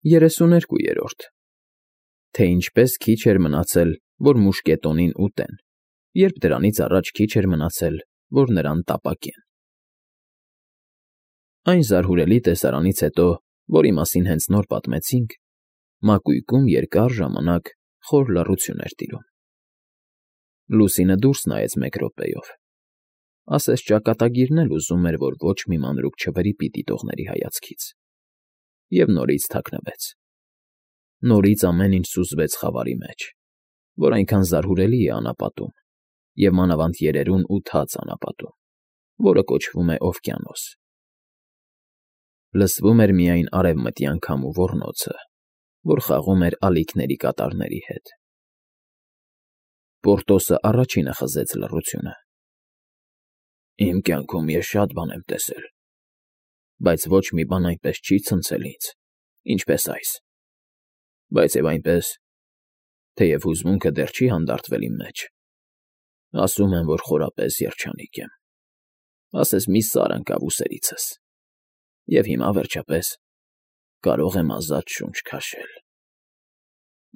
32-րդ Թե ինչպես քիչ էր մնացել, որ մուշկետոնին ուտեն, երբ դրանից առաջ քիչ էր մնացել, որ նրան տապակեն։ Այն զարհուրելի տեսարանից հետո, որի մասին հենց նոր պատմեցինք, մակույկում երկար ժամանակ խոր լռություն էր տիրում։ Լուսինը դուրս նայեց մեկ րոպեով, ասես ճակատագիրն էլ ուզում էր, որ ոչ մի մանրուք չվրիպի դիտողների հայացքից, և նորից թաքնվեց։ Նորից ամեն ինչ սուզվեց խավարի մեջ, որ այնքան զարհուրելի է անապատում, և մանավանդ երերուն ու թաց անապատում, որը կոչվում է օվկիանոս։ Լսվում էր միայն արևմտյան քամու ոռնոցը, որ խաղում էր ալիքների կատարների հետ։ Պորտոսը առաջինը խզեց լռությունը։ «Իմ կյանքում ես շատ բան եմ տեսել, բայց ոչ մի բան այնպես չի ցնցել ինձ, ինչպես այս, բայց և այնպես, թեև հուզմունքը դեռ չի հանդարտվել իմ մեջ, ասում եմ, որ խորապես երջանիկ եմ, ասես մի սար ընկավ ուսերիցս, և հիմա, վերջապես, կարող եմ ազատ շունչ քաշել»։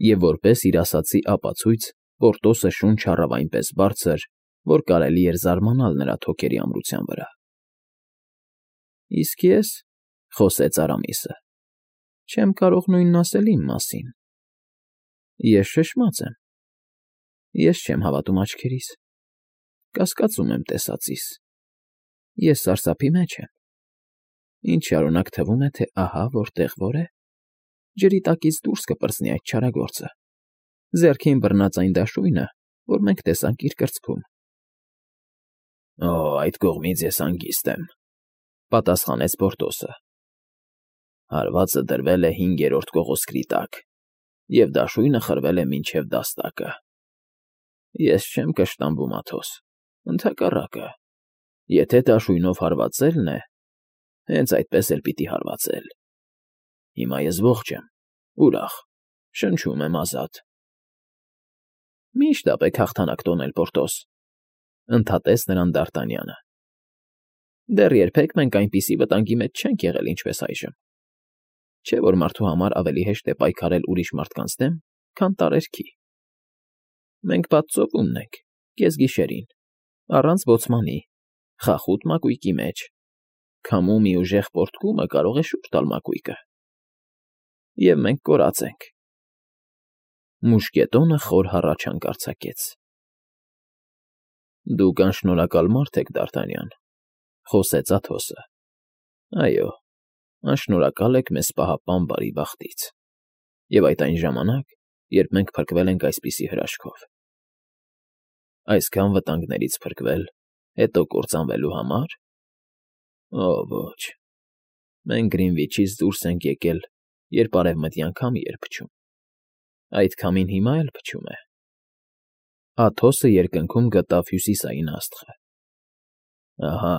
Եվ որպես իր ասածի ապացույց Պորտոսը շունչ առավ այնպես բարձր, որ կարելի էր զարմանալ նրա թոքերի ամրության վրա։ «Իսկ ես,֊ խոսեց Արամիսը,֊ չեմ կարող նույնն ասել իմ մասին։ Ես շշմած եմ, ես չեմ հավատում աչքերիս, կասկածում եմ տեսածիս, ես սարսափի մեջ եմ։ Ինչ շարունակ թվում է, թե ահա որտեղ որ է, ջրի տակից դուրս կպրծնի այդ չարագործը, ձեռքին բռնած այն դաշույնը, որ մենք տեսանք իր կրծքում»։ «Օ, այդ կողմից ես հանգիստ եմ,֊ պատասխանեց Պորտոսը։ «Հարվածը դրվել է 5-րդ կողոսկրի տակ, և դաշույնը խրվել է մինչև դաստակը։ Ես չեմ կշտամբում, Աթոս, ընդհակառակը, եթե դաշույնով հարվածելն է, հենց այդպես էլ պիտի հարվածել։ Հիմա ես ողջ եմ, ուրախ, շնչում եմ ազատ»։ «Մի՛ շտապեք հաղթանակ տոնել, Պորտոս,֊ ընդհատեց նրան Դ'Արտանյանը։ «Դեռ երբեք մենք այնպիսի վտանգի մեջ չենք եղել, ինչպես այժմ։ Չէ՞ որ մարդու համար ավելի հեշտ է պայքարել ուրիշ մարդկանց դեմ, քան տարերքի։ Մենք բաց ծովում ենք, կեսգիշերին, առանց բոցմանի, խախուտ մակույկի մեջ, քամու մի ուժեղ պոռթկումը կարող է շուռ տալ մակույկը։ Եվ մենք կորած ենք»։ Մուշկետոնը խոր հառաչանք արձակեց։ «Դուք անշնորհակալ մարդ եք, Դ'Արտանյան,֊ խոսեց Աթոսը։ Այո, անշնորհակալ եք մեզ պահապան բարի բախտից, և այդ այն ժամանակ, երբ մենք փրկվել ենք այսպիսի հրաշքով։ Այսքան վտանգներից փրկվել, հետո կործանվելու համար։ Օ, ոչ, մենք Գրինվիչից դուրս ենք եկել, երբ արևմտյան քամի էր փչում, այդ քամին հիմա էլ փչում է։ Աթոսը երկնքում գտավ հյուսիսային աստղը։ Ահա,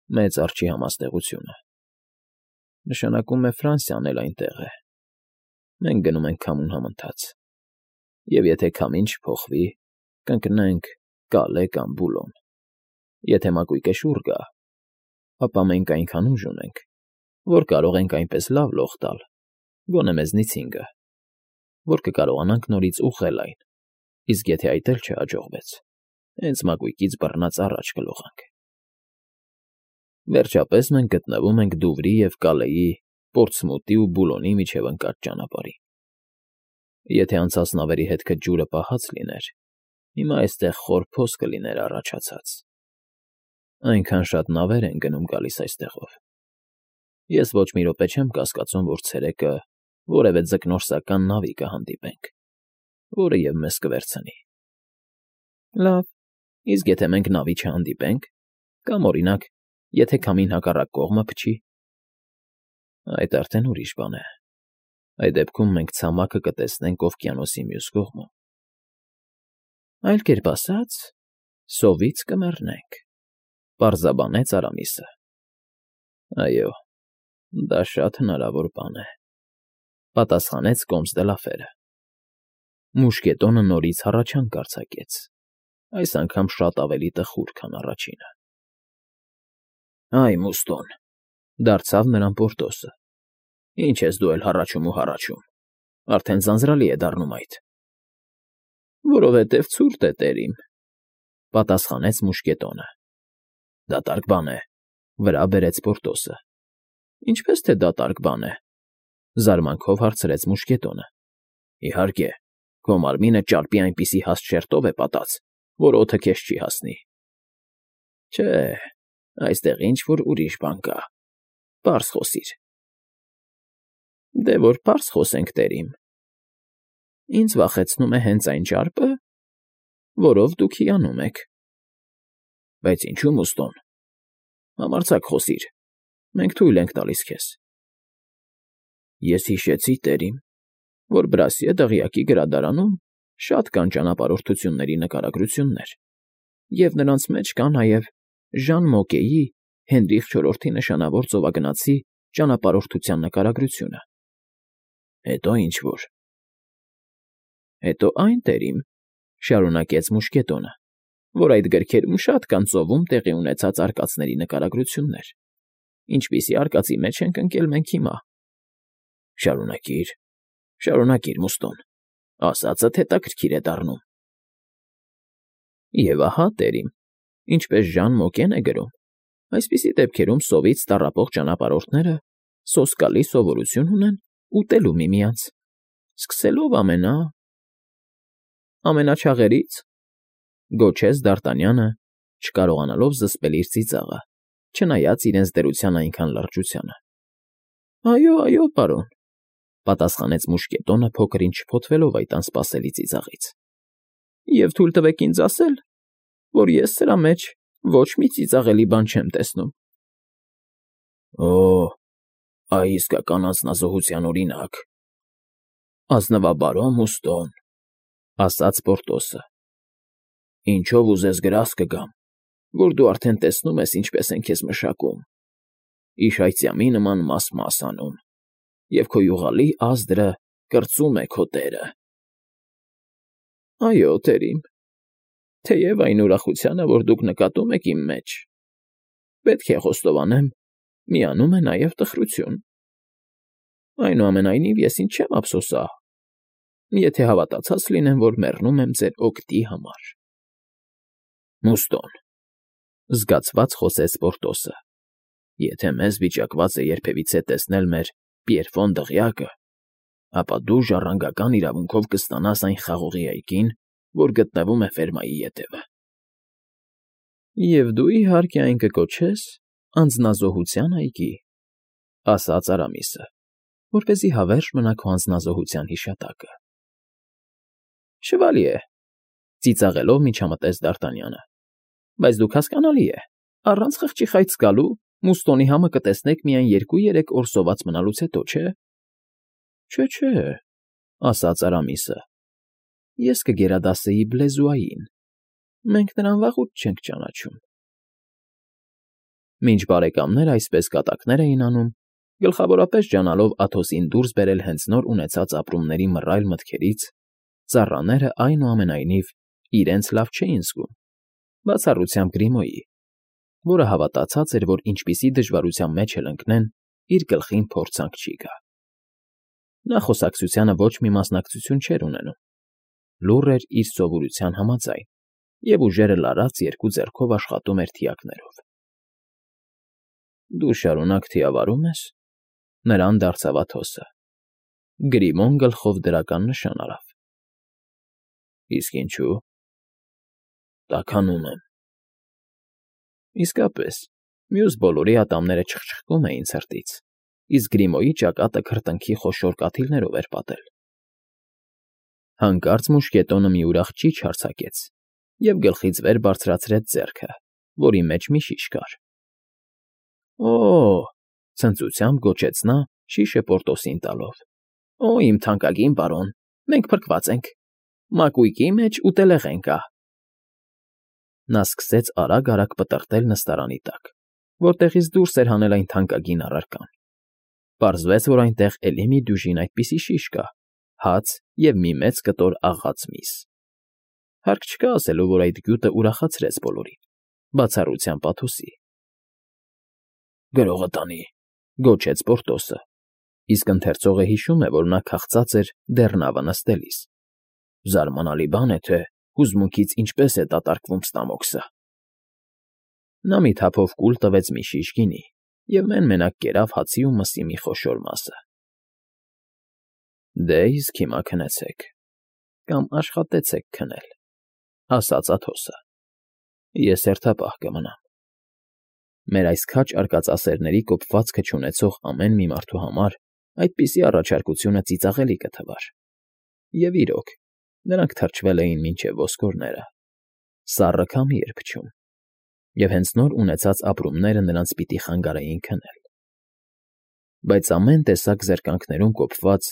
Մեծ Արջի համաստեղությունը։ Նշանակում է Ֆրանսիան էլ այնտեղ է։ Մենք գնում ենք քամուն համընթաց, և եթե քամին չփոխվի, կընկնենք Կալե կամ Բուլոն։ Եթե մակույկը շուռ գա, ապա մենք այնքան ուժ ունենք, որ կարող ենք այնպես լավ լող տալ, գոնե մեզնից 5-ը, որ կկարողանանք նորից ուղղել այն, իսկ եթե այդ էլ չհաջողվեց, հենց մակույկից բռնած առաջ կլողանք։ Վերջապես մենք գտնվում ենք Դուվրի և Կալեի, Պորտսմութի ու Բուլոնի միջև ընկած ճանապարհին։ Եթե անցած նավերի հետքը ջուրը պահած լիներ, հիմա այստեղ խոր փոս կլիներ առաջացած։ Այնքան շատ նավեր են գնում֊գալիս այստեղով։ Ես ոչ մի րոպե չեմ կասկածում, որ ցերեկը որևէ ձկնորսական նավի կհանդիպենք, որը և մեզ կվերցնի։ Լավ, իսկ եթե մենք նավի չհանդիպենք, կամ, օրինակ, եթե քամին հակառակ կողմը փչի։ Այդ արդեն ուրիշ բան է։ Այդ դեպքում մենք ցամաքը կտեսնենք օվկիանոսի մյուս կողմում։ Այլ կերպ ասած, սովից կմեռնենք, պարզաբանեց Արամիսը։ Այո, դա շատ հնարավոր բան է, պատասխանեց կոմս Դելաֆերը։ Մուշկետոնը նորից հառաչանք արձակեց, այս անգամ շատ ավելի տխուր, քան առաջինը։ Այ, Մուստոն,֊ դարձավ նրան Պորտոսը, Ինչ ես դու էլ հառաչում ու հառաչում, արդեն ձանձրալի է դառնում այդ։ Որովհետև ցուրտ է տերիմ, պատասխանեց մուշկետոնը։ Դատարկ բան է, վրա բերեց Պորտոսը։ Ինչպես թե դատարկ բան է, զարմանքով հարցրեց մուշկետոնը։ Իհարկե, քո մարմինը ճարպի այնպիսի հաստ շերտով է պատած, որ օդը քեզ չի հասնի։ Չէ, այստեղ ինչ-որ ուրիշ բան կա, պարզ խոսիր։ Դե որ պարզ խոսենք, տերիմ։ Ինձ վախեցնում է հենց այն ճարպը, որով դուք հիանում եք։ Բայց ինչու, Մուստոն, համարձակ խոսիր, մենք թույլ ենք տալիս քեզ։ Ես հիշեցի, տերիմ, որ Բրասիե դղյակի գրադարանում շատ կան ճանապարհորդությունների նկարագրություններ, և նրանց մեջ կա նաև Ժան Մոկեի Հենրիխ IV նշանավոր ծովագնացի ճանապարհորդության նկարագրությունը։ Հետո ինչ-որ։ Հետո այն, տերիմ, շարունակեց մուշկետոնը, որ այդ գրքերում շատ կան ծովում տեղի ունեցած արկածների նկարագրություններ, ինչպիսի արկածի մեջ ենք ընկել մենք հիմա։ Շարունակիր, շարունակիր, Մուստոն, ասածդ հետաքրքիր է դառնում։ Եվ ահա, տերիմ, ինչպես Ժան Մոկեն է գրում, այսպիսի դեպքերում սովից տառապող ճանապարհորդները սոսկալի սովորություն ունեն ուտելու միմյանց, սկսելով ամենաչաղերից, գոչեց Դ'Արտանյանը, չկարողանալով զսպել իր ծիծաղը, չնայած իրենց դրության այնքան լրջությանը։ Այո, պարոն, պատասխանեց մուշկետոնը փոքր-ինչ շփոթվելով այդ անսպասելի ծիծաղից։ Եվ թույլ տվեք ինձ ասել, որ ես սրա մեջ ոչ մի ծիծաղելի բան չեմ տեսնում։ Օ, այ իսկական անձնազոհության օրինակ։ Ազնվաբարո Մուստոն, ասաց Պորտոսը։ Ինչով ուզես գրաս կգամ, որ դու արդեն տեսնում ես ինչպես են քեզ մշակում, իշայծյամի նման մաս անում, և քո յուղալի ազդրը կրծում է քո տերը։ Այո, տերիմ, թեև այն ուրախությանը, որ դուք նկատում եք իմ մեջ, պետք է խոստովանեմ, միանում է նաև տխրություն։ Այնուամենայնիվ ես ինչ չեմ ափսոսա, եթե հավատացած լինեմ, որ մեռնում եմ ձեր օգտի համար։ Մուստոն, զգացված խոսեց Պորտոսը, եթե մեզ վիճակված է երբևիցե տեսնել մեր Պիերֆոն դղյակը, ապա դու ժառանգական իրավունքով կստանաս այն խաղողի այգին, որ գտնվում է ֆերմայի ետևը։ Եվ դու իհարկե այն կկոչես անձնազոհության այգի, ասաց Արամիսը, որպեսզի հավերժ մնա քո անձնազոհության հիշատակը։ Շվալիե, ծիծաղելով միջամտեց Դ'Արտանյանը, բայց դուք հասկանալի է, առանց խղճի խայծ գալու Մուստոնի համը կտեսնեք միայն 2-3 օր սոված մնալուց հետո, չէ։ Չէ, ասաց Արամիսը, ես կգերադասեի Բլեզուային, մենք նրան վաղուց չենք ճանաչում։ Մինչ բարեկամները այսպես կատակներ էին անում, գլխավորապես ջանալով Աթոսին դուրս բերել հենց նոր ունեցած ապրումների մռայլ մտքերից, ծառաները այնուամենայնիվ իրենց լավ չէին զգում, բացառությամբ Գրիմոյի, որը հավատացած էր, որ ինչպիսի դժվարության մեջ էլ ընկնեն, իր գլխին փորձանք չի գա։ Նա խոսակցությանը ոչ մի մասնակցություն չէր ունենում, լուռ էր իր սովորության համաձայն և ուժերը լարած երկու ձեռքով աշխատում էր թիակներով։ Դու շարունակ թիավարում ես, նրան դարձավ Աթոսը։ Գրիմոն գլխով դրական նշան արավ։ Իսկ ինչու։ Տաքանում եմ։ Իսկապես, մյուս բոլորի ատամները չխչխկում էին ցրտից, իսկ Գրիմոյի ճակատը քրտինքի խոշոր կաթիլներով էր պատել։ Հանկարծ մուշկետոնը մի ուրախ ճիչ արձակեց և գլխից վեր բարձրացրեց ձեռքը, որի մեջ մի շիշ կար։ Օ՜, ցնծությամբ գոչեց նա, շիշը Պորտոսին տալով։ Օ, իմ թանկագին պարոն, մենք փրկված ենք։ Մակույկի մեջ ուտելեղեն կա։ Նա սկսեց արագ պտտել նստարանի տակ, որտեղից դուրս էր հանել այն թանկագին առարկան։ Պարզվեց, որ այնտեղ էլի մի դյուժին այդպիսի շիշ կա, հաց և մի մեծ կտոր աղած միս։ Հարկ չկա ասելու, որ այդ գյուտը ուրախացրեց բոլորին, բացառությամբ Աթոսի։ Գրողը տանի, գոչեց Պորտոսը, Իսկ ընթերցողը հիշում է, որ նա քաղցած էր դեռ նավը նստելիս. «Զարմանալի բան է, թե հուզմունքից ինչպես է դատարկվում ստամոքսը»։ Նա մի թափով կուլ տվեց մի շիշ գինի և մեն֊մենակ կերավ հացի ու մսի մի խոշոր մասը։ «Դե իսկ հիմա քնեցեք, կամ աշխատեցեք քնել», ասաց Աթոսը։ «Ես հերթապահ կմնամ»։ Մեր այս քաջ արկածասերների կոփվածքը չունեցող ամեն մի մարդու համար այդպիսի առաջարկությունը ծիծաղելի կթվար։ Եվ իրոք, նրանք թրջվել էին մինչև ոսկորները, սառը քամի էր փչում, և հենց նոր ունեցած ապրումները նրանց պիտի խանգարեին քնել։ Բայց ամեն տեսակ զրկանքներում կոփված,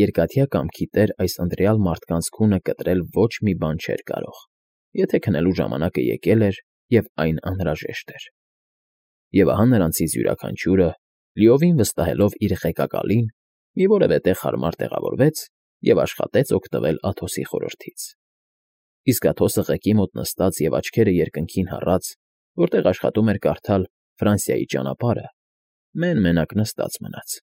երկաթյա կամքի տեր այս ընտրյալ մարդկանց քունը կտրել ոչ մի բան չէր կարող, եթե քնելու ժամանակը եկել էր և այն անհրաժեշտ էր։ Եվ ահա նրանցից յուրաքանչյուրը, լիովին վստահելով իր ղեկակալին, մի որևէ տեղ հարմար տեղավորվեց և աշխատեց օգտվել Աթոսի խորհրդից։ Իսկ Աթոսը ղեկի մոտ նստած և աչքերը երկնքին հառած, որտեղ աշխատում էր կարդալ Ֆրանսիայի ճանապարհը, մեն֊մենակ նստած մնաց։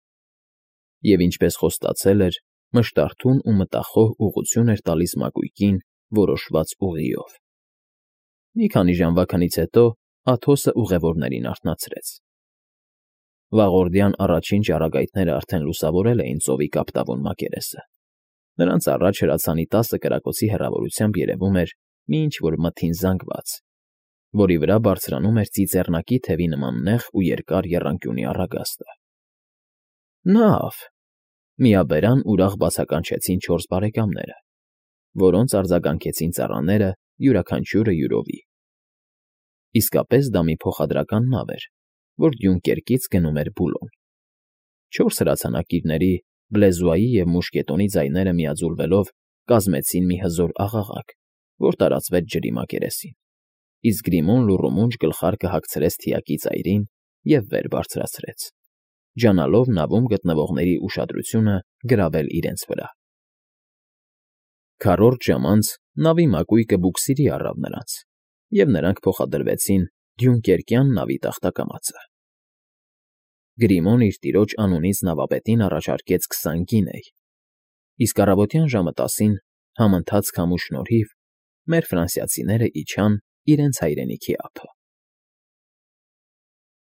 Եվ ինչպես խոստացել էր, մշտարթուն ու մտախոհ ուղղություն էր տալիս մակույկին որոշված ուղիով։ Մի քանի ժամվա քնից հետո Աթոսը ուղևորներին արթնացրեց։ Վաղորդյան առաջին ճառագայթները արդեն լուսավորել էին ծովի կապտավուն մակերեսը։ Նրանց առաջ հրացանի 10 կրակոցի հեռավորությամբ երևում էր մի ինչ֊որ մթին զանգված, որի վրա բարձրանում էր ծիծեռնակի թևի նման նեղ ու երկար եռանկյունի առագաստը։ «Նավ», միաբերան ուրախ բացականչեցին 4 բարեկամները, որոնց արձագանքեցին ծառաները յուրաքանչյուրը յուրովի։ Իսկապես դա մի փոխադրական նավ էր, որ Դյունկերկից գնում էր Բուլոն։ 4 հրացանակիրների, բլեզուայի և մուշկետոնի ձայները միաձուլվելով կազմեցին մի հզոր աղաղակ, որ տարածվեց ջրի մակերեսին, իսկ Գրիմոն լուռումունջ գլխարկը հագցրեց թիակի ծայրին և վեր բարձրացրեց, ջանալով նավում գտնվողների ուշադրությունը գրավել իրենց վրա։ Քառորդ ժամ անց նավի մակույկը բուքսիրի առավ նրանց, և նրանք փոխադրվեցին Դյունկերկյան նավի տախտակամածը։ Գրիմոն իր տիրոջ անունից նավապետին առաջարկեց 20 գինեյ, իսկ առավոտյան ժամը 10-ին, համընթաց քամու շնորհիվ, մեր ֆրանսիացիները իջան իրենց հայրենիքի ափը։